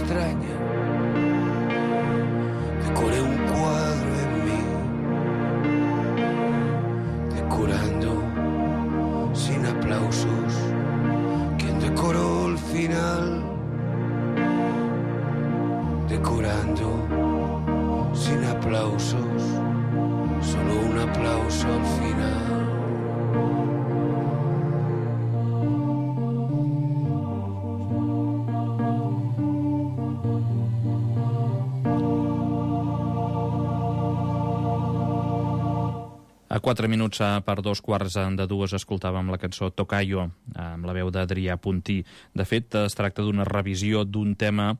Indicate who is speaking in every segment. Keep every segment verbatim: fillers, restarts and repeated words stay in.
Speaker 1: extraña. Decoré un cuadro en mí, decorando sin aplausos. ¿Quién decoró el final? Decorando sin aplausos, solo un aplauso al final.
Speaker 2: A quatre minuts per dos quarts de dues escoltàvem la cançó Tocayo, amb la veu d'Adrià Puntí. De fet, es tracta d'una revisió d'un tema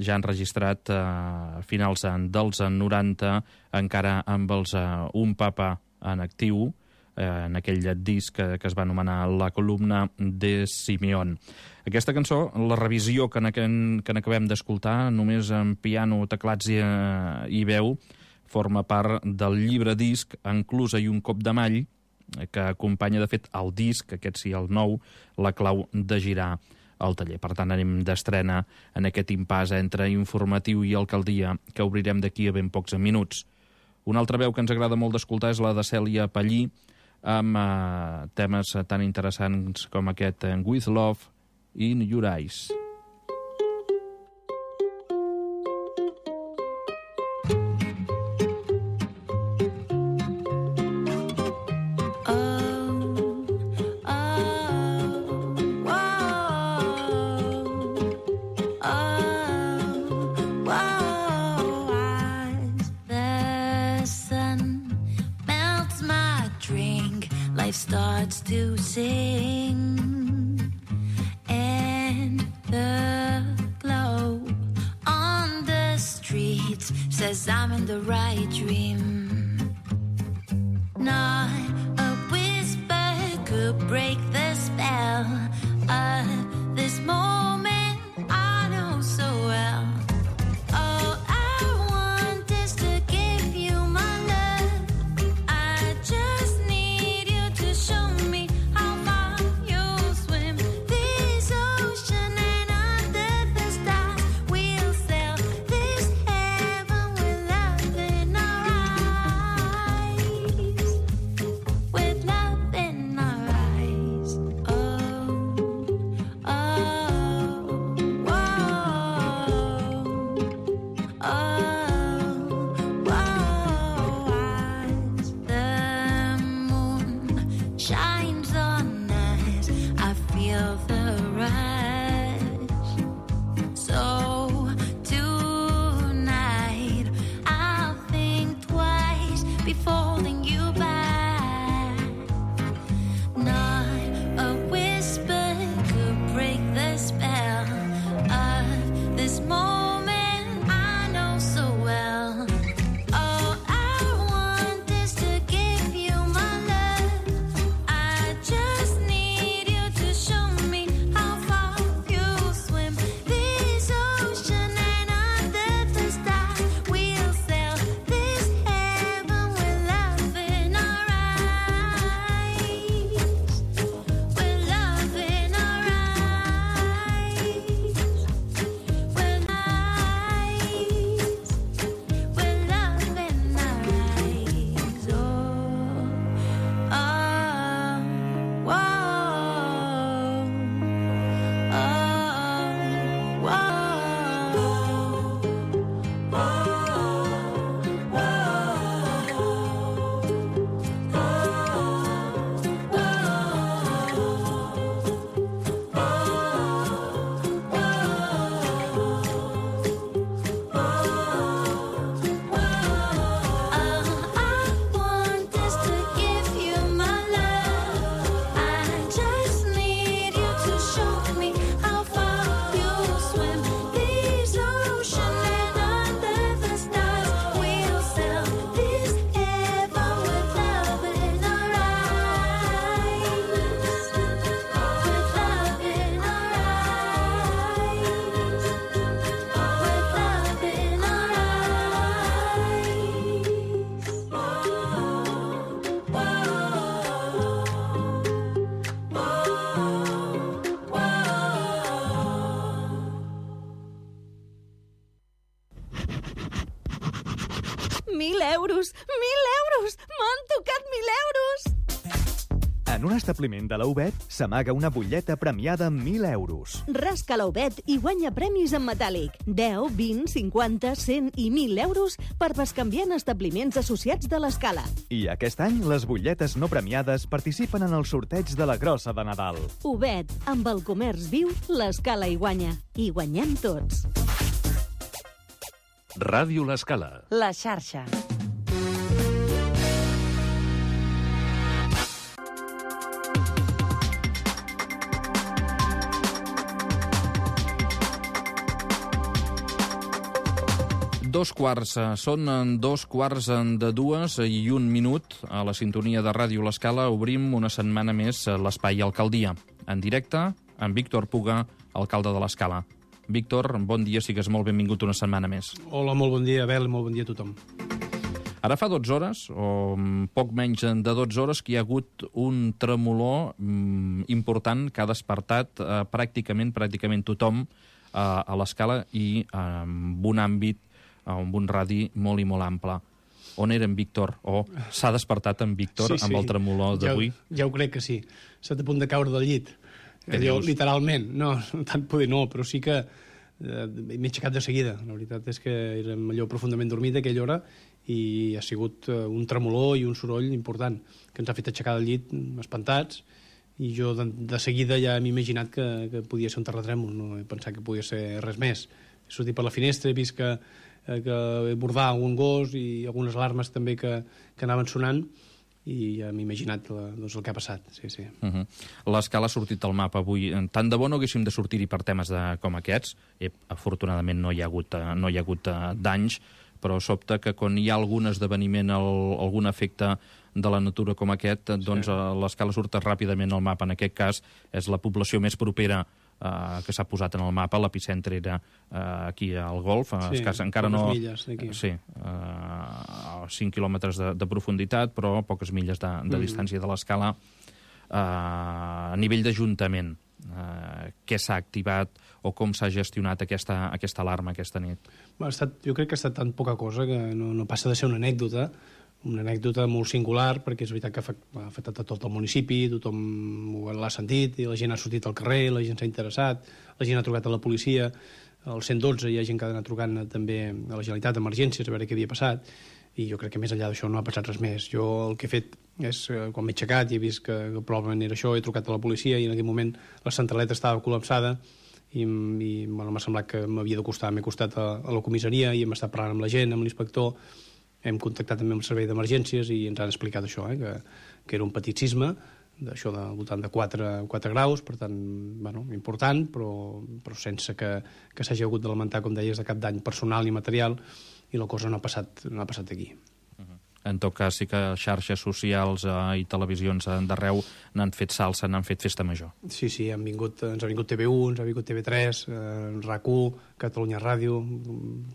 Speaker 2: ja enregistrat a finals dels noranta, encara amb els Un Papa en actiu, en aquell disc que, que es va anomenar La columna de Simeón. Aquesta cançó, la revisió que, en, que n'acabem d'escoltar, només en piano, teclats i, i veu, forma part del llibre disc Enclusa i un cop de mall, que acompanya, de fet, el disc, aquest sí, el nou, La clau de girar al taller. Per tant, anem d'estrena en aquest impàs entre informatiu i alcaldia, que obrirem d'aquí a ben pocs minuts. Una altra veu que ens agrada molt d'escoltar és la de Cèlia Pallí, amb eh, temes tan interessants com aquest With Love in Your Eyes.
Speaker 3: Starts to sing, and the glow on the streets says I'm in the right dream. Not a whisper could break the spell of this moment I know so well. All I want is to give you my love. I just show me how far you'll swim this ocean, and under the stars we'll sail this heaven with love in our eyes, with love in our eyes.
Speaker 4: Mil euros! Mil euros! M'han tocat mil euros!
Speaker 5: En un establiment de la U B E T s'amaga una butlleta premiada amb mil euros.
Speaker 4: Rasca la U B E T i guanya premis en metàl·lic. deu, vint, cinquanta, cent i mil euros per bescanviar en establiments associats de l'Escala.
Speaker 5: I aquest any, les butlletes no premiades participen en el sorteig de la grossa de Nadal.
Speaker 4: U B E T, amb el comerç viu, l'Escala hi guanya. I guanyem tots.
Speaker 6: Ràdio L'Escala.
Speaker 7: La xarxa.
Speaker 2: Dos quarts, són dos quarts de dues i un minut. A la sintonia de Ràdio L'Escala obrim una setmana més l'Espai Alcaldia. En directe, amb Víctor Puga, alcalde de l'Escala. Víctor, bon dia, sigues molt benvingut una setmana més.
Speaker 8: Hola, molt bon dia, Abel, molt bon dia a tothom.
Speaker 2: Ara fa dotze hores, o poc menys de dotze hores, que hi ha hagut un tremolor important que ha despertat eh, pràcticament, pràcticament tothom eh, a l'Escala i eh, amb un àmbit, amb un radi molt i molt ample. On era en Víctor? O s'ha despertat en Víctor sí, sí. amb el tremolor d'avui?
Speaker 8: Ja, ja ho crec que sí. S'ha a punt de caure del llit. Jo, literalment. No, tant poder no, però sí que eh, m'he aixecat de seguida. La veritat és que érem allò profundament dormit a aquella hora i ha sigut eh, un tremolor i un soroll important que ens ha fet aixecar del llit espantats i jo de, de seguida ja m'he imaginat que, que podia ser un terratrèmol, no he pensat que podia ser res més. He sortit per la finestra, he vist que que bordar algun gos i algunes alarmes també que, que anaven sonant i ja m'he imaginat doncs, el que ha passat. Sí, sí.
Speaker 2: Uh -huh. L'Escala ha sortit al mapa avui. Tant de bo no haguéssim de sortir-hi per temes de, com aquests. Eh, afortunadament no hi ha hagut, no hi ha hagut uh, danys, però sobta que quan hi ha algun esdeveniment, el, algun efecte de la natura com aquest, doncs sí. l'Escala surt ràpidament al mapa. En aquest cas és la població més propera Uh, que s'ha posat en el mapa. L'epicentre era uh, aquí al Golf, uh,
Speaker 8: sí,
Speaker 2: escàs, encara no...
Speaker 8: milles d'aquí.
Speaker 2: Uh, sí, uh, cinc quilòmetres de, de profunditat, però poques milles de, de mm-hmm. distància de l'Escala. Uh, a nivell d'Ajuntament, uh, què s'ha activat o com s'ha gestionat aquesta, aquesta alarma aquesta nit?
Speaker 8: Ha estat, jo crec que ha estat tan poca cosa que no, no passa de ser una anècdota, una anècdota molt singular, perquè és veritat que ha afectat a tot el municipi, tothom l'ha sentit, i la gent ha sortit al carrer, la gent s'ha interessat, la gent ha trucat a la policia, al cent dotze hi ha gent que ha d'anar trucant també a la Generalitat d'Emergències a veure què havia passat, i jo crec que més enllà d'això no ha passat res més. Jo el que he fet és, quan m'he aixecat i he vist que, que probablement era això, he trucat a la policia i en aquell moment la centraleta estava col·lapsada i, i bueno, m'ha semblat que m'havia de costar, m'he costat a, a la comissaria i hem estat parlant amb la gent, amb l'inspector. Hem contactat també amb el servei d'emergències i ens han explicat això, eh, que, que era un petit sisme, d'això de voltant de quatre, quatre graus, per tant, bueno, important, però, però sense que, que s'hagi hagut de lamentar, com deies, de cap dany personal ni material, i la cosa no ha passat, no ha passat aquí.
Speaker 2: En tot cas, sí que xarxes socials eh, i televisions d'arreu n'han fet salsa, n'han fet festa major.
Speaker 8: Sí, sí, han vingut, ens ha vingut T V u, ens ha vingut T V tres, eh, RAC u, Catalunya Ràdio,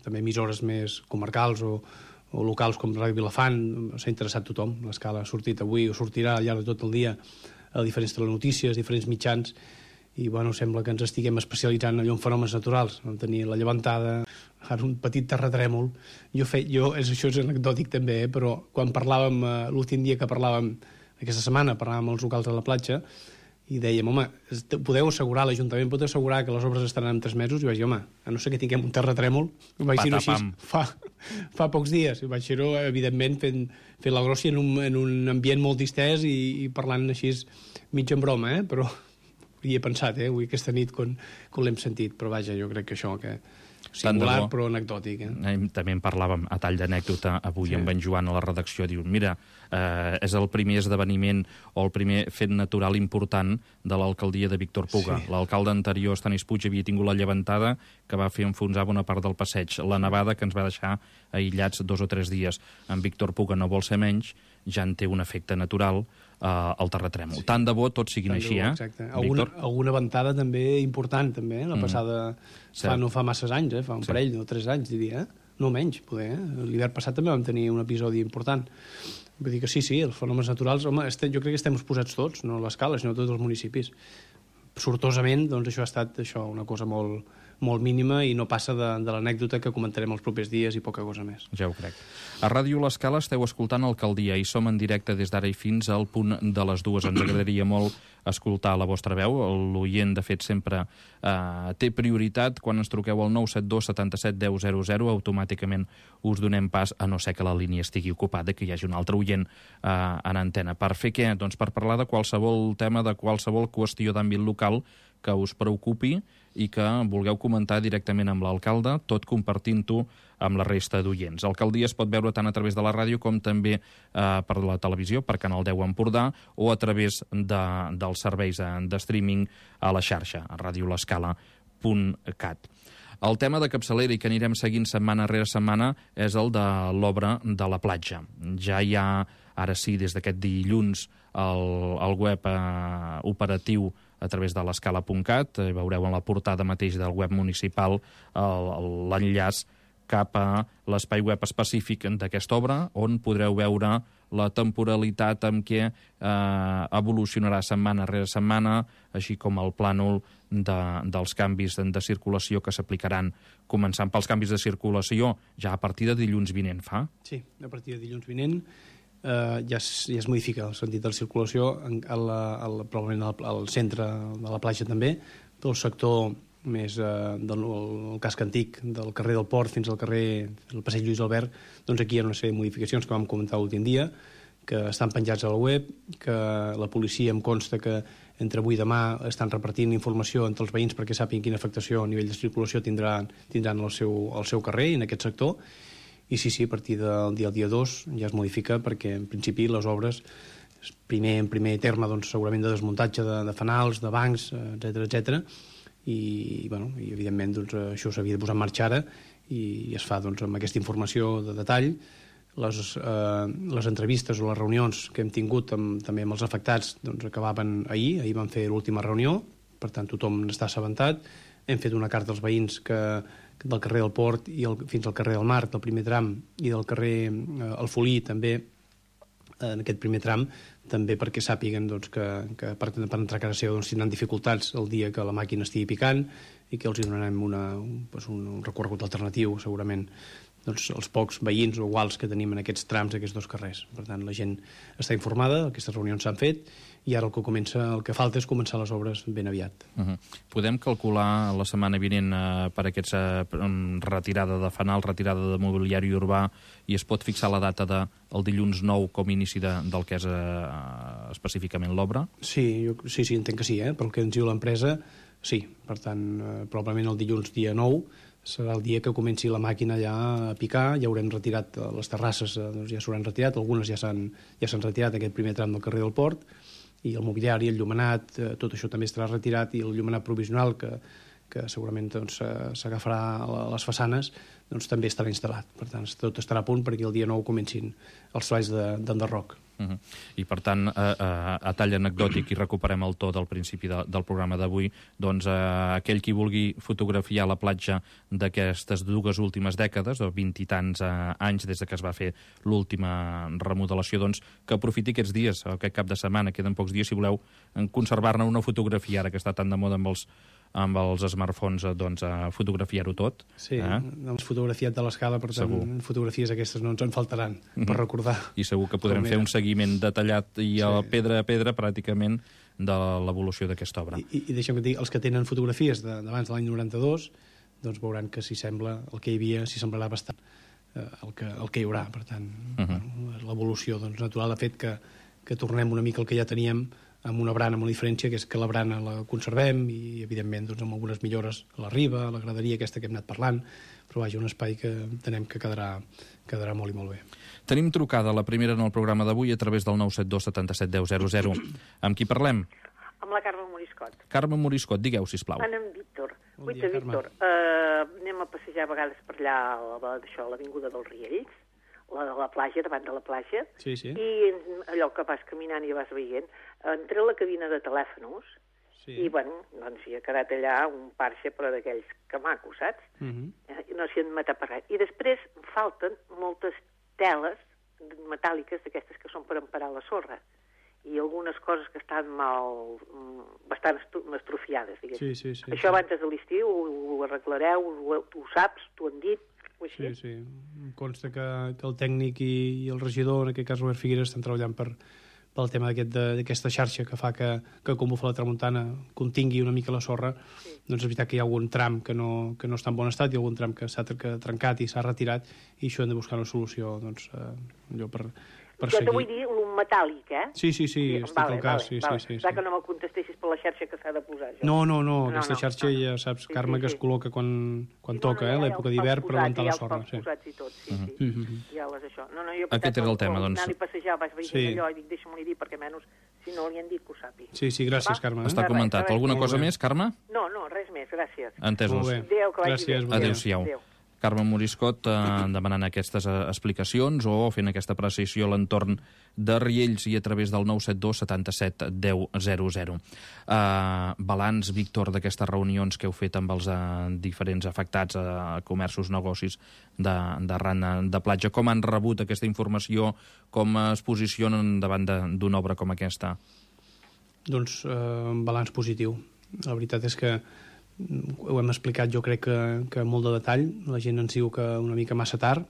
Speaker 8: també emissores més comarcals o o locals com Ràdio Vilafant, s'ha interessat tothom. L'Escala ha sortit avui o sortirà al llarg de tot el dia a diferents telenotícies, diferents mitjans, i bueno, sembla que ens estiguem especialitzant allò en fenòmens naturals. Vam tenir la llevantada, ara un petit terratrèmol. Jo fe, jo, és, això és anecdòtic també, eh, però quan parlàvem, eh, l'últim dia que parlàvem, aquesta setmana, parlàvem amb els locals de la platja, i dèiem, home, podeu assegurar, l'Ajuntament pot assegurar que les obres estaran en tres mesos? I vaig dir, home, a no ser que tinguem un terratrèmol, vaig dir-ho així fa, fa pocs dies. I vaig dir-ho, evidentment, fent, fent la gròcia en un, en un ambient molt distès i, i parlant així mig en broma, eh? Però hi he pensat, eh, avui aquesta nit, quan, quan l'hem sentit. Però vaja, jo crec que això, que singular, però anecdòtic. Eh?
Speaker 2: També en parlàvem a tall d'anècdota avui sí. amb en Joan a la redacció. Diu, mira, eh, és el primer esdeveniment o el primer fet natural important de l'alcaldia de Víctor Puga. Sí. L'alcalde anterior, Estanis Puig, havia tingut la llevantada que va fer enfonsar bona part del passeig. La nevada que ens va deixar aïllats dos o tres dies. En Víctor Puga no vol ser menys, ja en té un efecte natural uh, el terratrèmol. Sí. Tant de bo tots siguin tant així, eh?
Speaker 8: Exacte. Alguna, alguna ventada també important, també, eh? La passada mm. fa, no fa masses anys, eh? Fa un sí. parell o tres anys, diria, eh? No menys, poder, eh? L'hivern passat també vam tenir un episodi important. Vull dir que sí, sí, els fenòmens naturals, home, este, jo crec que estem exposats tots, no a l'Escala, sinó a tots els municipis. Sortosament, doncs això ha estat això, una cosa molt, molt mínima i no passa de, de l'anècdota que comentarem els propers dies i poca cosa més.
Speaker 2: Ja ho crec. A Ràdio L'Escala esteu escoltant Alcaldia i som en directe des d'ara i fins al punt de les dues. Ens agradaria molt escoltar la vostra veu. L'oient, de fet, sempre eh, té prioritat. Quan ens truqueu al nou set dos setanta-set deu zero zero, automàticament us donem pas, a no ser que la línia estigui ocupada, que hi hagi un altre oient eh, en antena. Per fer què? Doncs per parlar de qualsevol tema, de qualsevol qüestió d'àmbit local que us preocupi i que vulgueu comentar directament amb l'alcalde, tot compartint-ho amb la resta d'oients. Alcaldia es pot veure tant a través de la ràdio com també eh, per la televisió, per Canal deu Empordà, o a través de, dels serveis de streaming a la xarxa, a radio l'escala punt cat. El tema de capçalera i que anirem seguint setmana rere setmana és el de l'obra de la platja. Ja hi ha, ara sí, des d'aquest dilluns, el, el web eh, operatiu a través de l'escala punt cat. Eh, veureu en la portada mateix del web municipal l'enllaç cap a l'espai web específic d'aquesta obra, on podreu veure la temporalitat amb què eh, evolucionarà setmana rere setmana, així com el plànol de, dels canvis de, de circulació que s'aplicaran, començant pels canvis de circulació ja a partir de dilluns vinent, fa?
Speaker 8: Sí, a partir de dilluns vinent eh, ja, es, ja es modifica el sentit de la circulació, en, el, el, probablement al, al centre de la platja també, tot el sector més eh, del el casc antic, del carrer del Port fins al carrer del passeig Lluís Albert, doncs aquí hi ha una sèrie de modificacions que vam comentar l'últim dia, que estan penjats a la web, que la policia em consta que entre avui i demà estan repartint informació entre els veïns perquè sàpiguen quina afectació a nivell de circulació tindran, tindran al seu, al seu carrer i en aquest sector. I sí, sí, a partir del dia, dia dos ja es modifica perquè en principi les obres, primer en primer terme doncs, segurament de desmuntatge de, de fanals, de bancs, etcètera etcètera, i, bueno, i evidentment doncs, això s'havia de posar en marxa ara i es fa doncs, amb aquesta informació de detall. Les, eh, les entrevistes o les reunions que hem tingut amb, també amb els afectats doncs, acabaven ahir, ahir vam fer l'última reunió, per tant tothom n'està assabentat. Hem fet una carta als veïns que, del carrer del Port i el, fins al carrer del Mar, del primer tram, i del carrer eh, Alfolí també, en aquest primer tram, també perquè sàpiguen doncs, que, que per, per entrar a casa seva doncs, tindran dificultats el dia que la màquina estigui picant i que els hi donarem una, un, doncs, un recorregut alternatiu, segurament, doncs, els pocs veïns o guals que tenim en aquests trams, aquests dos carrers. Per tant, la gent està informada, aquestes reunions s'han fet, i ara el que comença, el que falta és començar les obres ben aviat.
Speaker 2: Uh-huh. Podem calcular la setmana vinent eh, per aquesta eh, retirada de fanal, retirada de mobiliari urbà, i es pot fixar la data del de, dilluns nou com a inici de, del que és eh, específicament l'obra?
Speaker 8: Sí, jo, sí, sí, entenc que sí, eh? Pel que ens diu l'empresa, sí. Per tant, eh, probablement el dilluns dia nou serà el dia que comenci la màquina ja a picar, ja haurem retirat les terrasses, eh, doncs ja s'hauran retirat, algunes ja s'han ja s'han retirat aquest primer tram del carrer del Port, i el mobiliari, el llumenat, eh, tot això també estarà retirat, i el llumenat provisional, que, que segurament doncs, s'agafarà a les façanes, doncs també estarà instal·lat. Per tant, tot estarà a punt perquè el dia nou comencin els treballs d'enderroc.
Speaker 2: Uh -huh. I per tant, a, a, a tall anecdòtic, i recuperem el to del principi de, del programa d'avui, doncs eh, aquell qui vulgui fotografiar la platja d'aquestes dues últimes dècades, o vint i tants eh, anys des de que es va fer l'última remodelació, doncs que aprofiti aquests dies, aquest cap de setmana, queden pocs dies, si voleu conservar-ne una fotografia, ara que està tan de moda amb els amb els smartphones, doncs, a fotografiar-ho tot.
Speaker 8: Sí,
Speaker 2: eh?
Speaker 8: hem fotografiat de l'escala, per tant, segur. Fotografies aquestes no ens en faltaran, mm-hmm. per recordar.
Speaker 2: I segur que podrem fer un seguiment detallat i sí. a pedra a pedra, pràcticament, de l'evolució d'aquesta obra.
Speaker 8: I, i deixa'm dir, els que tenen fotografies d'abans de l'any noranta-dos, doncs veuran que si sembla el que hi havia, s'hi semblarà bastant eh, el, que, el que hi haurà. Per tant, uh-huh. bueno, l'evolució doncs, natural ha fet que, que tornem una mica el que ja teníem, amb una brana amb una diferència, que és que la brana la conservem i, evidentment, doncs, amb algunes millores a la riba, a la graderia aquesta que hem anat parlant, però vaja, un espai que entenem que quedarà, quedarà molt i molt bé.
Speaker 2: Tenim trucada, la primera en el programa d'avui, a través del nou set dos setanta-set deu zero zero. Amb qui parlem?
Speaker 6: Amb la Carme Moriscot.
Speaker 2: Carme Moriscot, digueu, sisplau.
Speaker 6: Anna en Víctor.
Speaker 8: Bon dia,
Speaker 6: Guita, Víctor. Uh, anem a passejar a vegades per allà, a l'avinguda dels Riells, la de la platja, davant de la platja,
Speaker 8: sí, sí.
Speaker 6: i allò que vas caminant i vas veient, entre la cabina de telèfons, sí. i, bueno, doncs hi ha quedat allà un parxe, però d'aquells que macos, saps? Uh -huh. eh, no s'hi han matat per res. I després falten moltes teles metàl·liques d'aquestes que són per emparar la sorra. i algunes coses que estan mal, bastant estrofiades, diguéssim.
Speaker 8: Sí, sí, sí.
Speaker 6: Això
Speaker 8: sí.
Speaker 6: abans de l'estiu ho, ho arreglareu, ho, ho saps, t'ho han dit, o així?
Speaker 8: Sí, sí. Em consta que, que el tècnic i, i el regidor, en aquest cas Robert Figueres, estan treballant per, pel tema d'aquesta aquest, xarxa que fa que, que com bufa la tramuntana contingui una mica la sorra. Sí. Doncs és veritat que hi ha algun tram que no, que no està en bon estat i algun tram que s'ha trencat i s'ha retirat, i això hem de buscar una solució, doncs, eh, allò per, per
Speaker 6: jo
Speaker 8: seguir.
Speaker 6: Jo t'ho vull dir, un metàl·lic, eh?
Speaker 8: Sí, sí, sí, sí, estic
Speaker 6: vale,
Speaker 8: al cas.
Speaker 6: Vale,
Speaker 8: sí,
Speaker 6: vale.
Speaker 8: sí, sí,
Speaker 6: Clar
Speaker 8: sí.
Speaker 6: que no me'l contestessis per la xarxa que s'ha de posar. Jo.
Speaker 8: No, no, no,
Speaker 6: no
Speaker 8: aquesta
Speaker 6: no,
Speaker 8: xarxa
Speaker 6: no, no.
Speaker 8: ja saps,
Speaker 6: sí,
Speaker 8: Carme,
Speaker 6: sí,
Speaker 8: que
Speaker 6: sí.
Speaker 8: es col·loca quan, quan
Speaker 6: sí,
Speaker 8: toca,
Speaker 6: no, no,
Speaker 8: eh,
Speaker 6: ja,
Speaker 8: l'època d'hivern per aguantar
Speaker 6: ja
Speaker 8: la sorra.
Speaker 6: Ja els posats i tot, sí,
Speaker 8: uh -huh.
Speaker 6: sí.
Speaker 8: Uh -huh.
Speaker 6: Ja les això. No, no, jo
Speaker 2: Aquest era el tema, doncs.
Speaker 6: Anar-hi a passejar, vas veient
Speaker 8: sí.
Speaker 6: allò i dic, deixa'm-li dir, perquè menys, si no li han dit que ho sàpiga.
Speaker 8: Sí, sí, gràcies, Carme. Eh?
Speaker 2: Està comentat. Alguna cosa més, Carme?
Speaker 6: No, no, res més, gràcies.
Speaker 2: Entesos.
Speaker 8: Molt bé.
Speaker 6: Adéu, que vagi
Speaker 8: gràcies,
Speaker 6: bé.
Speaker 2: Adéu-siau.
Speaker 6: Adéu.
Speaker 2: Carme Moriscot eh, demanant aquestes eh, explicacions o fent aquesta apreciació a l'entorn de Riells i a través del nou set dos setanta-set deu zero zero. Eh, balanç, Víctor, d'aquestes reunions que heu fet amb els eh, diferents afectats a eh, comerços, negocis d'arran de, de platja. Com han rebut aquesta informació? Com es posicionen davant d'una obra com aquesta?
Speaker 8: Doncs eh, un balanç positiu. La veritat és que ho hem explicat, jo crec que, que molt de detall. La gent ens diu que una mica massa tard,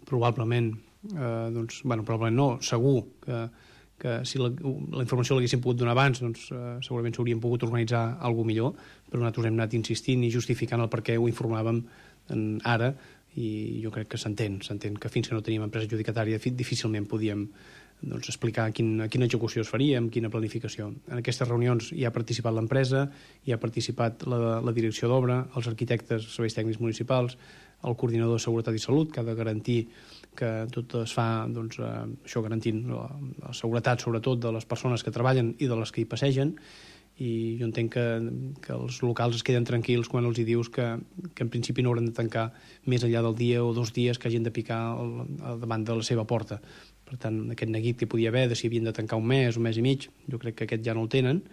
Speaker 8: probablement, eh, doncs, bueno, probablement no, segur que, que si la, la informació l'haguéssim pogut donar abans, doncs eh, segurament s'haurien pogut organitzar alguna millor, però nosaltres hem anat insistint i justificant el per què ho informàvem en, ara, i jo crec que s'entén, s'entén que fins que no teníem empresa adjudicatària difícilment podíem doncs, explicar quin, quina execució es faria, amb quina planificació. En aquestes reunions hi ha participat l'empresa, hi ha participat la, la direcció d'obra, els arquitectes, serveis tècnics municipals, el coordinador de Seguretat i Salut, que ha de garantir que tot es fa, doncs, eh, això garantint la, la seguretat, sobretot, de les persones que treballen i de les que hi passegen, i jo entenc que, que els locals es queden tranquils quan els hi dius que, que en principi no hauran de tancar més enllà del dia o dos dies que hagin de picar el, el, davant de la seva porta. Per tant, aquest neguit que podia haver de si havien de tancar un mes, un mes i mig, jo crec que aquest ja no el tenen,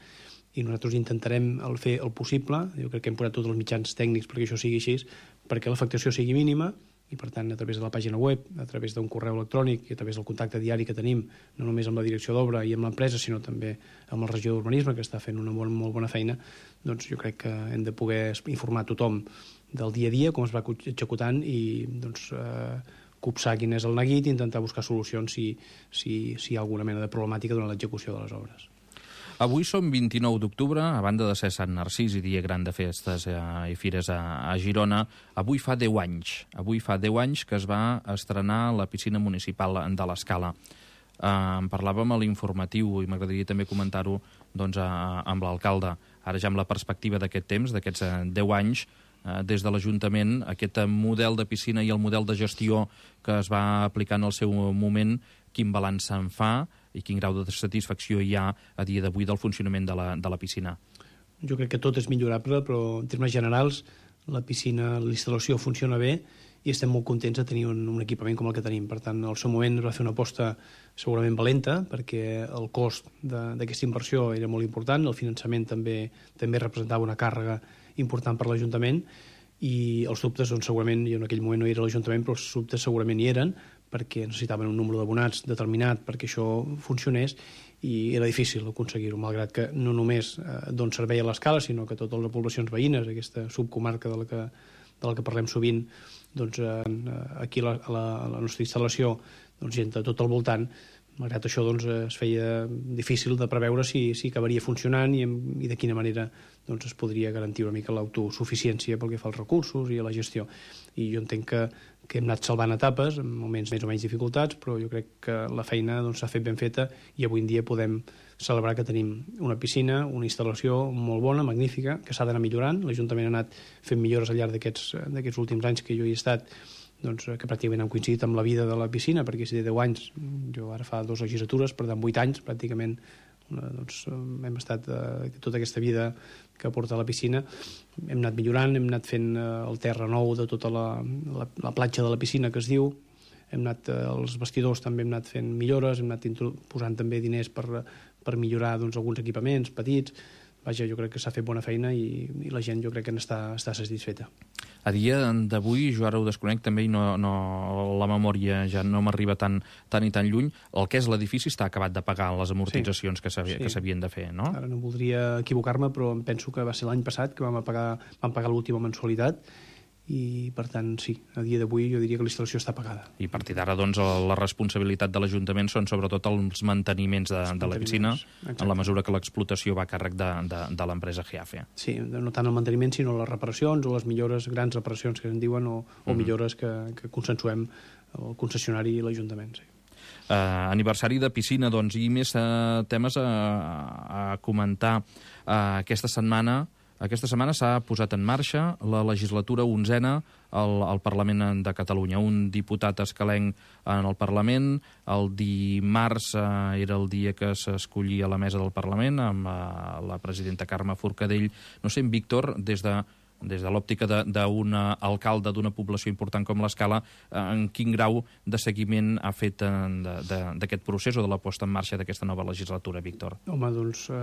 Speaker 8: i nosaltres intentarem el fer el possible. Jo crec que hem posat tots els mitjans tècnics perquè això sigui així, perquè l'afectació sigui mínima, i per tant a través de la pàgina web, a través d'un correu electrònic i a través del contacte diari que tenim, no només amb la direcció d'obra i amb l'empresa, sinó també amb el regidor d'urbanisme, que està fent una molt, molt bona feina, doncs jo crec que hem de poder informar tothom del dia a dia, com es va executant, i doncs eh, copsar quin és el neguit i intentar buscar solucions si, si, si hi ha alguna mena de problemàtica durant l'execució de les obres.
Speaker 2: Avui som vint-i-nou d'octubre, a banda de ser Sant Narcís i dia gran de festes eh, i fires a, a Girona, avui fa deu anys. Avui fa deu anys que es va estrenar la piscina municipal de l'Escala. Eh, en parlàvem a l'informatiu i m'agradaria també comentar-ho doncs, a, amb l'alcalde. Ara ja amb la perspectiva d'aquest temps, d'aquests eh, deu anys, eh, des de l'Ajuntament, aquest model de piscina i el model de gestió que es va aplicar en el seu moment, quin balanç se'n fa i quin grau de satisfacció hi ha a dia d'avui del funcionament de la, de la piscina?
Speaker 8: Jo crec que tot és millorable, però en termes generals la piscina, l'instal·lació funciona bé i estem molt contents de tenir un, un equipament com el que tenim. Per tant, al seu moment es va fer una aposta segurament valenta, perquè el cost d'aquesta inversió era molt important, el finançament també també representava una càrrega important per l'Ajuntament, i els dubtes, doncs, segurament, jo en aquell moment no era l'Ajuntament, però els dubtes segurament hi eren, perquè necessitaven un número d'abonats determinat perquè això funcionés, i era difícil aconseguir-ho, malgrat que no només eh, dona servei a l'Escala, sinó que totes les poblacions veïnes, aquesta subcomarca de la que, de la que parlem sovint, doncs, eh, aquí a la, a la nostra instal·lació, doncs, gent de tot al voltant, malgrat això, doncs, es feia difícil de preveure si, si acabaria funcionant i, i de quina manera doncs, es podria garantir una mica l'autosuficiència pel que fa als recursos i a la gestió. I jo entenc que, que hem anat salvant etapes, en moments més o menys dificultats, però jo crec que la feina s'ha doncs, fet ben feta i avui en dia podem celebrar que tenim una piscina, una instal·lació molt bona, magnífica, que s'ha d'anar millorant. L'Ajuntament ha anat fent millores al llarg d'aquests últims anys que jo hi he estat, doncs, que pràcticament han coincidit amb la vida de la piscina, perquè si té deu anys, jo ara fa dues legislatures, per tant vuit anys pràcticament, doncs, hem estat eh, tota aquesta vida que porta a la piscina, hem anat millorant, hem anat fent eh, el terra nou de tota la, la, la platja de la piscina que es diu, hem anat, eh, els vestidors també hem anat fent millores, hem anat posant també diners per, per millorar doncs, alguns equipaments petits. Vaja, jo crec que s'ha fet bona feina i, i la gent jo crec que n'està està satisfeta.
Speaker 2: A dia d'avui, jo ara ho desconec també i no, no, la memòria ja no m'arriba tan, tan i tan lluny, el que és l'edifici està acabat de pagar les amortitzacions sí. que s'havien sí. de fer, no?
Speaker 8: Ara no voldria equivocar-me, però em penso que va ser l'any passat que vam pagar, vam pagar l'última mensualitat i, per tant, sí, a dia d'avui jo diria que la instal·lació està pagada.
Speaker 2: I a partir d'ara, doncs, la responsabilitat de l'Ajuntament són sobretot els manteniments de, de la piscina, exacte. En la mesura que l'explotació va a càrrec de, de, de l'empresa Giafe.
Speaker 8: Sí, no tant el manteniment, sinó les reparacions o les millores, grans reparacions que en diuen, o, o mm-hmm. millores que, que consensuem el concessionari i l'Ajuntament, sí.
Speaker 2: Uh, aniversari de piscina, doncs, i més uh, temes a, a comentar uh, aquesta setmana. Aquesta setmana s'ha posat en marxa la legislatura onzena al, al Parlament de Catalunya. Un diputat escalenc en el Parlament. El dimarts eh, era el dia que s'escollia la mesa del Parlament amb eh, la presidenta Carme Forcadell. No sé, en Víctor, des de des de l'òptica d'un alcalde d'una població important com l'Escala, en quin grau de seguiment ha fet d'aquest procés o de la posta en marxa d'aquesta nova legislatura, Víctor?
Speaker 8: Home, doncs, eh,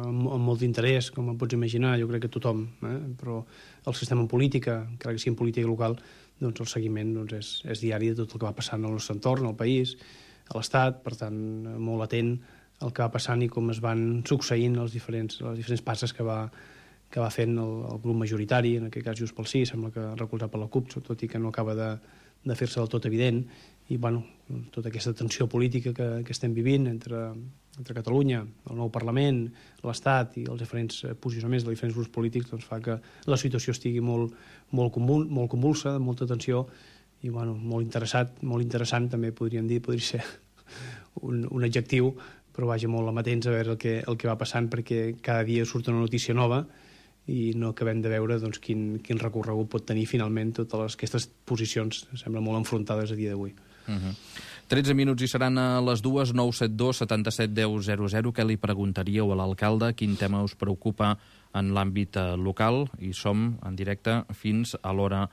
Speaker 8: amb, amb molt d'interès, com em pots imaginar, jo crec que tothom, eh? Però el sistema en política, encara que sigui en política local, doncs el seguiment doncs, és, és diari de tot el que va passant al nostre entorn, al país, a l'Estat, per tant, molt atent el que va passant i com es van succeint els diferents, les diferents passes que va que va fent el, el grup majoritari, en aquest cas Junts pel Sí, sembla que recolzat per la CUP, tot i que no acaba de, de fer-se del tot evident, i bueno, tota aquesta tensió política que, que estem vivint entre, entre Catalunya, el nou Parlament, l'Estat i els diferents posicionaments dels diferents grups polítics doncs fa que la situació estigui molt, molt, convul, molt convulsa, amb molta tensió, i bueno, molt interessat, molt interessant també podríem dir, podria ser un, un adjectiu, però vaja, molt amatents a veure el que, el que va passant, perquè cada dia surt una notícia nova i no acabem de veure doncs, quin, quin recorregut pot tenir finalment totes les, aquestes posicions, sembla molt enfrontades a dia d'avui.
Speaker 2: Uh-huh. tretze minuts i seran a les dues, nou set dos, setanta-set, deu, zero zero. Què li preguntaríeu a l'alcalde? Quin tema us preocupa en l'àmbit local? I som en directe fins a l'hora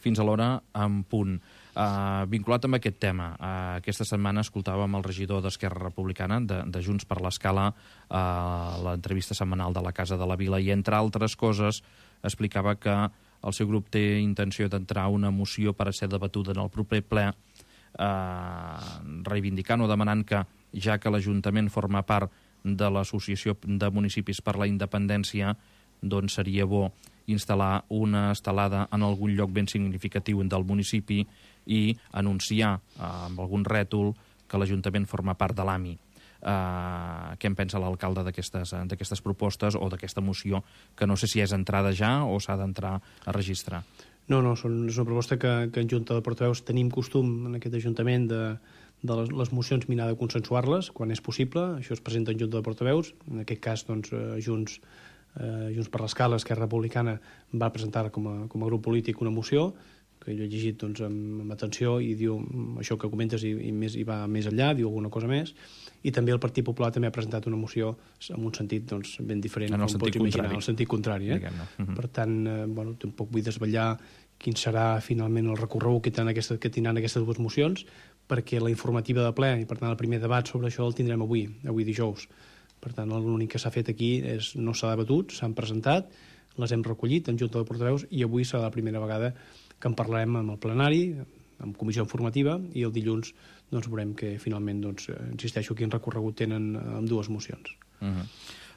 Speaker 2: fins a l'hora en punt. Uh, vinculat amb aquest tema, uh, aquesta setmana escoltàvem el regidor d'Esquerra Republicana de, de Junts per l'Escala a uh, l'entrevista setmanal de la Casa de la Vila i, entre altres coses, explicava que el seu grup té intenció d'entrar una moció per a ser debatuda en el proper ple, uh, reivindicant o demanant que, ja que l'Ajuntament forma part de l'Associació de Municipis per la Independència, doncs seria bo instal·lar una estelada en algun lloc ben significatiu del municipi i anunciar eh, amb algun rètol que l'Ajuntament forma part de l'A M I. Eh, què en pensa l'alcalde d'aquestes propostes o d'aquesta moció, que no sé si és entrada ja o s'ha d'entrar a registrar?
Speaker 8: No, no, són, és una proposta que, que en Junta de Portaveus tenim costum en aquest Ajuntament de, de les, les mocions mirar de consensuar-les quan és possible. Això es presenta en Junta de Portaveus. En aquest cas, doncs, Junts Eh, Junts per l'Escala, Esquerra Republicana va presentar com a, com a grup polític una moció que jo he llegit doncs, amb, amb atenció i diu això que comentes i, i, més, i va més enllà, diu alguna cosa més, i també el Partit Popular també ha presentat una moció en un sentit doncs, ben diferent,
Speaker 2: en el
Speaker 8: com
Speaker 2: sentit
Speaker 8: pots imaginar,
Speaker 2: contrari.
Speaker 8: en el sentit contrari. Eh? Uh-huh. Per tant, eh, bueno, tampoc vull desvetllar quin serà finalment el recorregut que tindran, aquesta, que tindran aquestes dues mocions, perquè la informativa de ple i per tant el primer debat sobre això el tindrem avui, avui dijous. Per tant, l'únic que s'ha fet aquí és no s'ha debatut, s'han presentat, les hem recollit en Junta de Portaveus i avui serà la primera vegada que en parlarem amb el plenari, amb comissió informativa, i el dilluns doncs, veurem que finalment, doncs, insisteixo, quin recorregut tenen amb dues mocions.
Speaker 2: Uh-huh.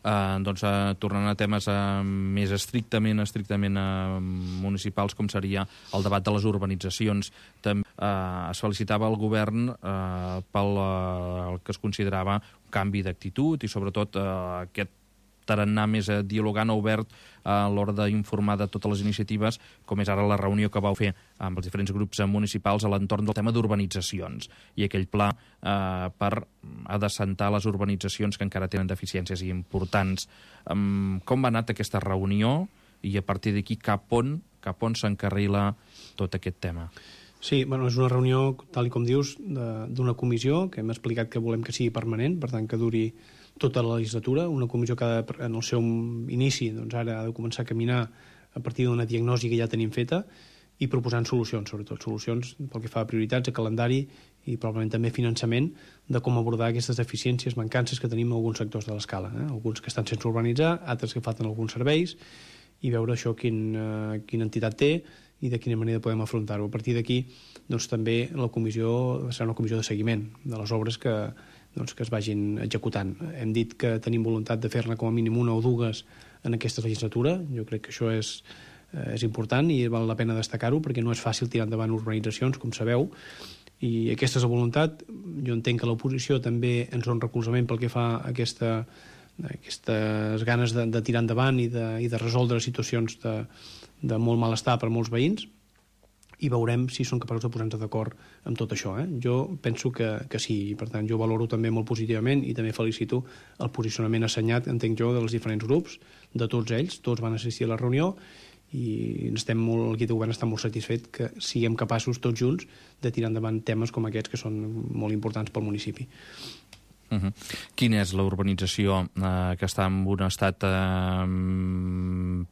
Speaker 2: Uh, doncs, uh, tornant a temes uh, més estrictament estrictament uh, municipals, com seria el debat de les urbanitzacions, també uh, es felicitava el govern uh, pel uh, el que es considerava un canvi d'actitud i sobretot uh, aquest tarannà més eh, dialogant, obert a l'hora d'informar de totes les iniciatives, com és ara la reunió que vau fer amb els diferents grups municipals a l'entorn del tema d'urbanitzacions i aquell pla eh, per adassentar les urbanitzacions que encara tenen deficiències importants. Um, com va anar aquesta reunió i a partir d'aquí cap on, cap on s'encarrila tot aquest tema?
Speaker 8: Sí, bueno, és una reunió, tal com dius, d'una comissió que hem explicat que volem que sigui permanent, per tant que duri tota la legislatura, una comissió que ha de, en el seu inici doncs ara ha de començar a caminar a partir d'una diagnosi que ja tenim feta i proposant solucions, sobretot solucions pel que fa a prioritats, a calendari i probablement també finançament de com abordar aquestes deficiències, mancances que tenim en alguns sectors de l'escala, eh? Alguns que estan sense urbanitzar, altres que falten alguns serveis, i veure això quin, uh, quina entitat té i de quina manera podem afrontar-ho. A partir d'aquí, doncs, també la comissió serà una comissió de seguiment de les obres que, doncs, que es vagin executant. Hem dit que tenim voluntat de fer-ne com a mínim una o dues en aquesta legislatura. Jo crec que això és, és important i val la pena destacar-ho perquè no és fàcil tirar endavant urbanitzacions, com sabeu, i aquesta és la voluntat. Jo entenc que l'oposició també ens dona recolzament pel que fa a aquesta, aquestes ganes de, de tirar endavant i de, i de resoldre situacions de, de molt malestar per molts veïns, i veurem si són capaços de posar-nos d'acord amb tot això. Eh? Jo penso que, que sí, i per tant jo valoro també molt positivament i també felicito el posicionament assenyat, entenc jo, dels diferents grups, de tots ells, tots van assistir a la reunió, i estem molt, el equip de govern està molt satisfet que siguem capaços tots junts de tirar endavant temes com aquests que són molt importants pel municipi.
Speaker 2: Uh-huh. Quina és la urbanització eh, que està en un estat eh,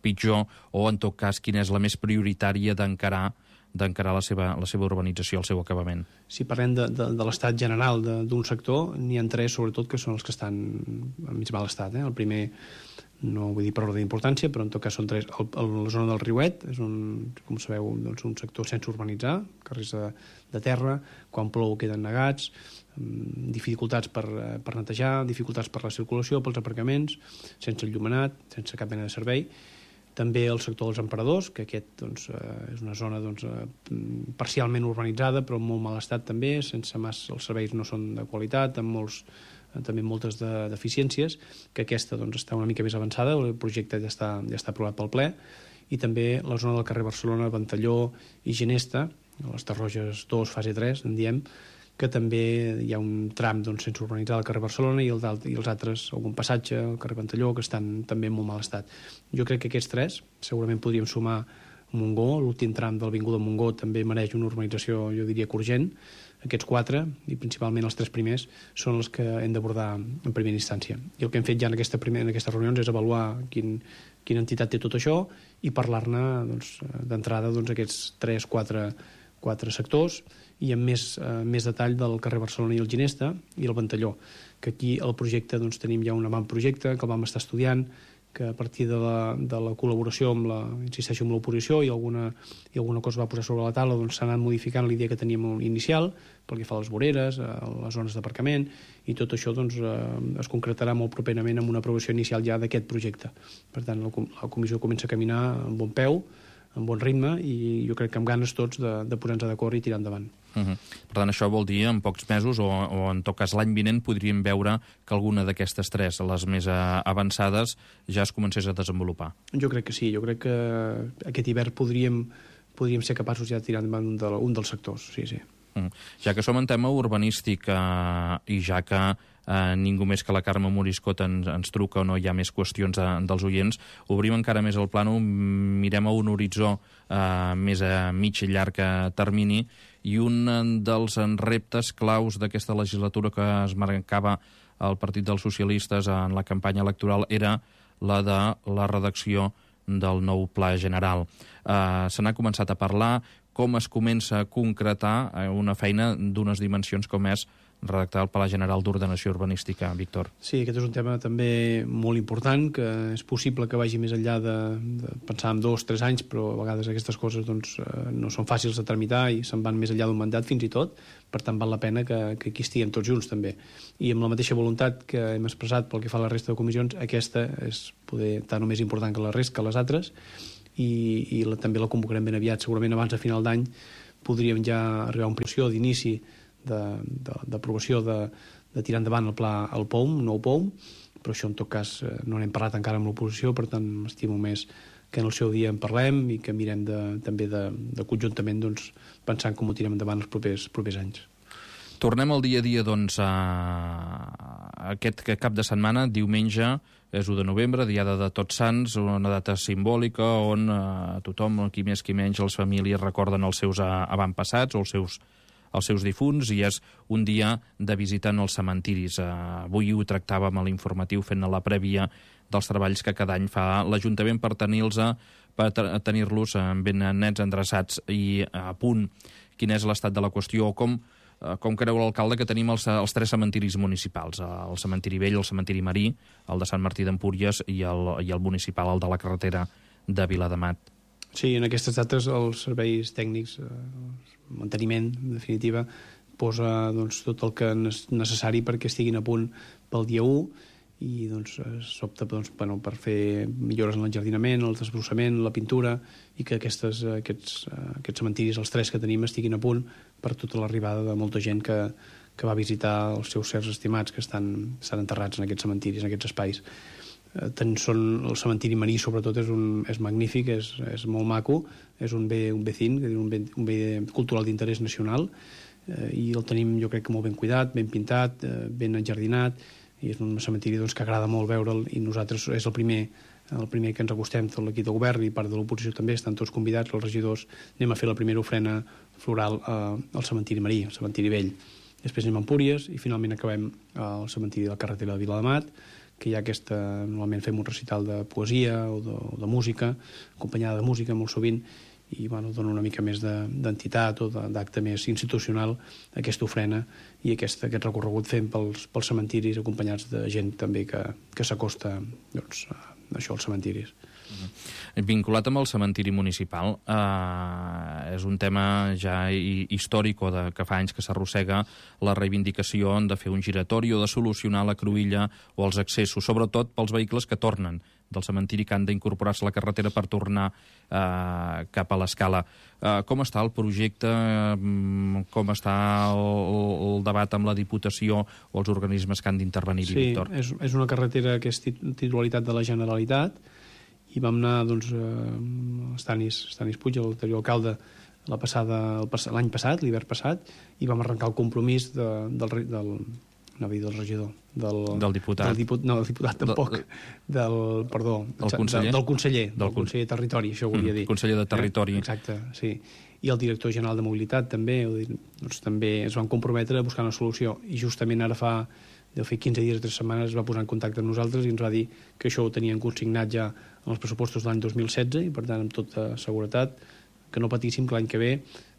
Speaker 2: pitjor, o en tot cas quina és la més prioritària d'encarar d'encarar la seva, la seva urbanització, el seu acabament?
Speaker 8: Si parlem de, de, de l'estat general d'un sector, n'hi ha tres, sobretot, que són els que estan en mig mal estat. Eh? El primer, no vull dir per ordre d'importància, però en tot cas són tres. El, el, la zona del Riuet és un, com sabeu, doncs un sector sense urbanitzar, carrers de, de terra, quan plou queden negats, dificultats per, per netejar, dificultats per la circulació, pels aparcaments, sense enllumenat, sense cap mena de servei. També el sector dels emperadors, que aquest doncs, és una zona doncs, parcialment urbanitzada, però en molt mal estat també, sense massa, els serveis no són de qualitat, amb molts, també moltes de, deficiències, que aquesta doncs, està una mica més avançada, el projecte ja està, ja està aprovat pel ple, i també la zona del carrer Barcelona, Ventalló i Ginesta, les Tarroges dos, fase tres, en diem, que també hi ha un tram doncs, sense urbanitzar al carrer Barcelona i, el i els altres, algun passatge al carrer Ventalló, que estan també en molt mal estat. Jo crec que aquests tres, segurament podríem sumar Montgó, l'últim tram de l'Avinguda Montgó també mereix una urbanització, jo diria, que urgent. Aquests quatre, i principalment els tres primers, són els que hem d'abordar en primera instància. I el que hem fet ja en, aquesta primer, en aquestes reunions és avaluar quin, quina entitat té tot això i parlar-ne doncs, d'entrada doncs, aquests tres, quatre, quatre sectors, i amb més, eh, més detall del carrer Barcelona i el Ginesta i el Ventalló, que aquí el projecte doncs, tenim ja un avantprojecte que el vam estar estudiant, que a partir de la, de la col·laboració amb la, insisteixo, amb l'oposició i alguna, i alguna cosa va posar sobre la taula, doncs s'ha anat modificant l'idea que teníem inicial pel que fa a les voreres, a les zones d'aparcament, i tot això doncs, eh, es concretarà molt properament amb una aprovació inicial ja d'aquest projecte. Per tant, la, la comissió comença a caminar amb bon peu, amb bon ritme, i jo crec que amb ganes tots de, de posar-nos d'acord i tirar endavant.
Speaker 2: Uh-huh. Per tant, això vol dir en pocs mesos, o, o en tot cas l'any vinent, podríem veure que alguna d'aquestes tres, les més avançades, ja es comencés a desenvolupar.
Speaker 8: Jo crec que sí, jo crec que aquest hivern podríem, podríem ser capaços ja de tirar endavant un, de, un dels sectors, sí, sí.
Speaker 2: Uh-huh. Ja que som en tema urbanístic eh, i ja que eh, ningú més que la Carme Moriscot ens, ens truca, o no hi ha més qüestions de, dels oients, obrim encara més el plànol, mirem a un horitzó eh, més a mig i llarg termini, i un dels reptes claus d'aquesta legislatura que es marcava el Partit dels Socialistes en la campanya electoral era la de la redacció del nou Pla General. Eh, se n'ha començat a parlar, com es comença a concretar una feina d'unes dimensions com és redactar el Pla General d'Ordenació Urbanística, Víctor.
Speaker 8: Sí, aquest és un tema també molt important, que és possible que vagi més enllà de, de pensar en dos, tres anys, però a vegades aquestes coses doncs, no són fàcils de tramitar i se'n van més enllà d'un mandat fins i tot, per tant val la pena que, que aquí estiguem tots junts també. I amb la mateixa voluntat que hem expressat pel que fa a la resta de comissions, aquesta és poder tan o més important que la resta, que les altres, i, i la, també la convocarem ben aviat, segurament abans de final d'any podríem ja arribar a una promoció d'inici d'aprovació de, de, de tirar endavant el pla el P O M, nou P O M, però això en tot cas no n'hem parlat encara amb l'oposició, per tant m'estimo més que en el seu dia en parlem i que mirem de, també de, de conjuntament doncs, pensant com ho tirem endavant els propers, propers anys.
Speaker 2: Tornem al dia a dia, doncs, a aquest cap de setmana, diumenge, és u de novembre, diada de Tots Sants, una data simbòlica on eh, tothom, qui més qui menys, les famílies recorden els seus avantpassats o els seus els seus difunts, i és un dia de visita en els cementiris. Uh, avui ho tractàvem a l'informatiu fent la prèvia dels treballs que cada any fa l'Ajuntament per tenir-los per tenir-los ben nets, endreçats i a punt. Quin és l'estat de la qüestió, o com, uh, com creu l'alcalde que tenim els, els tres cementiris municipals, el cementiri vell, el cementiri marí, el de Sant Martí d'Empúries i el, i el municipal, el de la carretera de Viladamat.
Speaker 8: Sí, en aquestes dates els serveis tècnics, eh, el manteniment, en definitiva, posa doncs, tot el que és necessari perquè estiguin a punt pel dia u i doncs, s'opta doncs, bueno, per fer millores en l'enjardinament, el desbrossament, la pintura i que aquestes, aquests, aquests cementiris, els tres que tenim, estiguin a punt per tota l'arribada de molta gent que, que va visitar els seus certs estimats que estan, estan enterrats en aquests cementiris, en aquests espais. Tant són, el cementiri marí sobretot és, un, és magnífic, és, és molt maco, és un bé, un bé cin, un bé, un bé cultural d'interès nacional, eh, i el tenim jo crec que molt ben cuidat, ben pintat, eh, ben enjardinat, i és un cementiri doncs, que agrada molt veure'l, i nosaltres és el primer, el primer que ens acostem, tot l'equip de govern i part de l'oposició també, estan tots convidats, els regidors, anem a fer la primera ofrena floral eh, al cementiri marí, al cementiri vell. Després anem a Empúries i finalment acabem al cementiri de la carretera de Viladamat, que hi ha aquesta, normalment fem un recital de poesia o de, o de música, acompanyada de música molt sovint, i bueno, dona una mica més d'entitat o d'acte més institucional aquesta ofrena i aquest, aquest recorregut fem pels, pels cementiris acompanyats de gent també que, que s'acosta doncs, a això, als cementiris.
Speaker 2: Uh-huh. Vinculat amb el cementiri municipal, eh, és un tema ja històric o de, que fa anys que s'arrossega la reivindicació de fer un giratori o de solucionar la cruïlla o els accessos, sobretot pels vehicles que tornen del cementiri que han d'incorporar-se a la carretera per tornar eh, cap a l'escala. Eh, com està el projecte? Com està el, el debat amb la Diputació o els organismes que han d'intervenir?
Speaker 8: Sí, Víctor? És, és una carretera que és titularitat de la Generalitat i vam anar, doncs, eh, Stanis, Stanis Puig, l'anterior alcalde, la passada, l'any passat, l'hivern passat, i vam arrencar el compromís de, del, del, no, del regidor, del,
Speaker 2: del diputat.
Speaker 8: Del diput, no, del diputat tampoc, del, perdó,
Speaker 2: del conseller,
Speaker 8: del, del conseller, del,
Speaker 2: del
Speaker 8: conseller de Territori, això volia
Speaker 2: mm,
Speaker 8: dir.
Speaker 2: Conseller de Territori.
Speaker 8: Eh? Exacte, sí. I el director general de Mobilitat també, doncs, també es van comprometre a buscar una solució, i justament ara fa deu fer quinze dies o tres setmanes es va posar en contacte amb nosaltres i ens va dir que això ho tenien consignat ja en els pressupostos de l'any dos mil setze i per tant amb tota seguretat que no patíssim que l'any que ve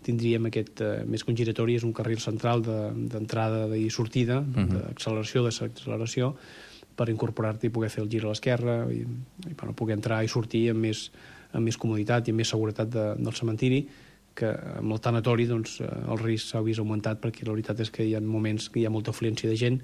Speaker 8: tindríem aquest, eh, més que un giratori, és un carril central d'entrada de, i sortida, uh-huh. d'acceleració, desacceleració, per incorporar-te i poder fer el gir a l'esquerra i, i bueno, poder entrar i sortir amb més, amb més comoditat i amb més seguretat de, del cementiri, que amb el tanatori doncs, el risc s'ha vist augmentat perquè la veritat és que hi ha moments que hi ha molta afluència de gent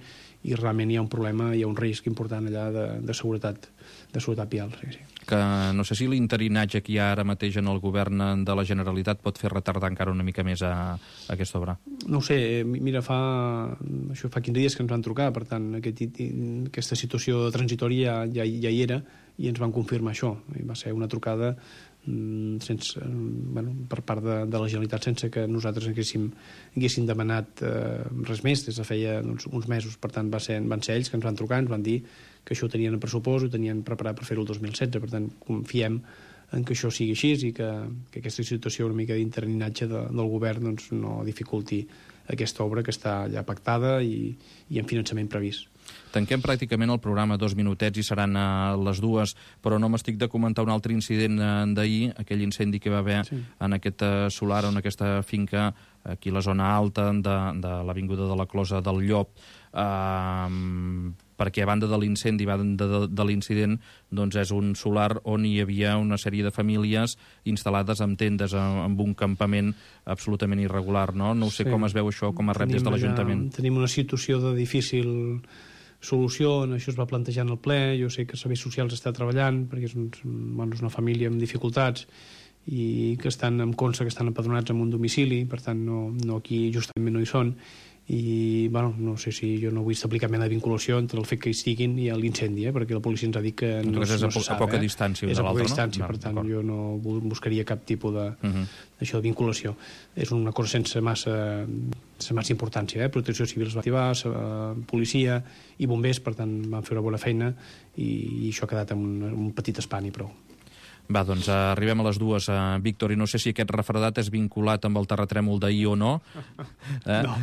Speaker 8: i realment hi ha un problema, hi ha un risc important allà de, de seguretat de seguretat vial. Sí, sí.
Speaker 2: Que no sé si l'interinatge que hi ha ara mateix en el govern de la Generalitat pot fer retardar encara una mica més a, a aquesta obra.
Speaker 8: No ho sé, mira, fa, això fa quinze dies que ens van trucar, per tant, aquest, aquesta situació transitòria ja, ja, ja hi era i ens van confirmar això. I va ser una trucada sense, bueno, per part de, de la Generalitat sense que nosaltres haguéssim, haguéssim demanat eh, res més des de feia doncs, uns mesos. Per tant, va ser, van ser ells que ens van trucar, ens van dir que això ho tenien en pressupost, ho tenien preparat per fer-ho el dos mil setze. Per tant, confiem en que això sigui així i que, que aquesta situació una mica d'interninatge de, del govern doncs, no dificulti aquesta obra que està ja pactada i, i en finançament previst.
Speaker 2: Tanquem pràcticament el programa dos minutets i seran a les dues, però no m'estic de comentar un altre incident d'ahir, aquell incendi que va haver sí. en aquest solar, en aquesta finca, aquí a la zona alta de, de l'avinguda de la Closa del Llop, eh, perquè a banda de l'incendi, a banda de, de l'incident, doncs és un solar on hi havia una sèrie de famílies instal·lades amb tendes, amb un campament absolutament irregular, no? No sé sí. com es veu això, com es rep des de l'Ajuntament.
Speaker 8: Ja, tenim una situació de difícil solució, això es va plantejar en el ple, jo sé que Serveis Socials està treballant, perquè és, un, bueno, és una família amb dificultats i que estan amb consta que estan empadronats en un domicili, per tant no, no aquí justament no hi són, i bueno, no sé si jo no vull establir cap mena de vinculació entre el fet que hi estiguin i l'incendi, eh? perquè la policia ens ha dit que no, no,
Speaker 2: és
Speaker 8: no
Speaker 2: a,
Speaker 8: se sap.
Speaker 2: A poca
Speaker 8: eh?
Speaker 2: distància
Speaker 8: és
Speaker 2: de l'altre,
Speaker 8: no? És a poca distància,
Speaker 2: no?
Speaker 8: per tant jo no buscaria cap tipus de, uh-huh. d'això de vinculació. És una cosa sense massa, sense massa importància, eh? Protecció Civil es va activar, eh, policia i bombers, per tant van fer una bona feina i, i això ha quedat en un, un petit espant i prou.
Speaker 2: Va, doncs arribem a les dues, uh, Víctor, i no sé si aquest refredat és vinculat amb el terratrèmol d'ahir o no.
Speaker 8: Eh? No,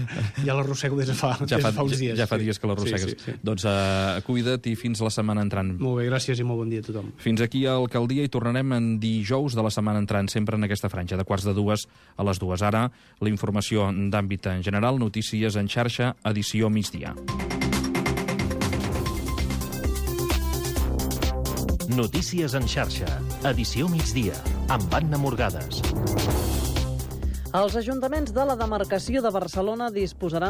Speaker 8: ja l'arrossego des de fa, ja des fa, fa uns dies.
Speaker 2: Ja, ja fa dies que l'arrossegues. Sí, sí, sí. Doncs uh, cuida't i fins la setmana entrant.
Speaker 8: Molt bé, gràcies i molt bon dia a tothom.
Speaker 2: Fins aquí a Alcaldia i tornarem en dijous de la setmana entrant, sempre en aquesta franja, de quarts de dues a les dues. Ara, la informació d'àmbit en general, notícies en xarxa, edició migdia.
Speaker 7: Notícies en xarxa, edició migdia. amb Anna Morgades.
Speaker 9: Els ajuntaments de la demarcació de Barcelona disposaran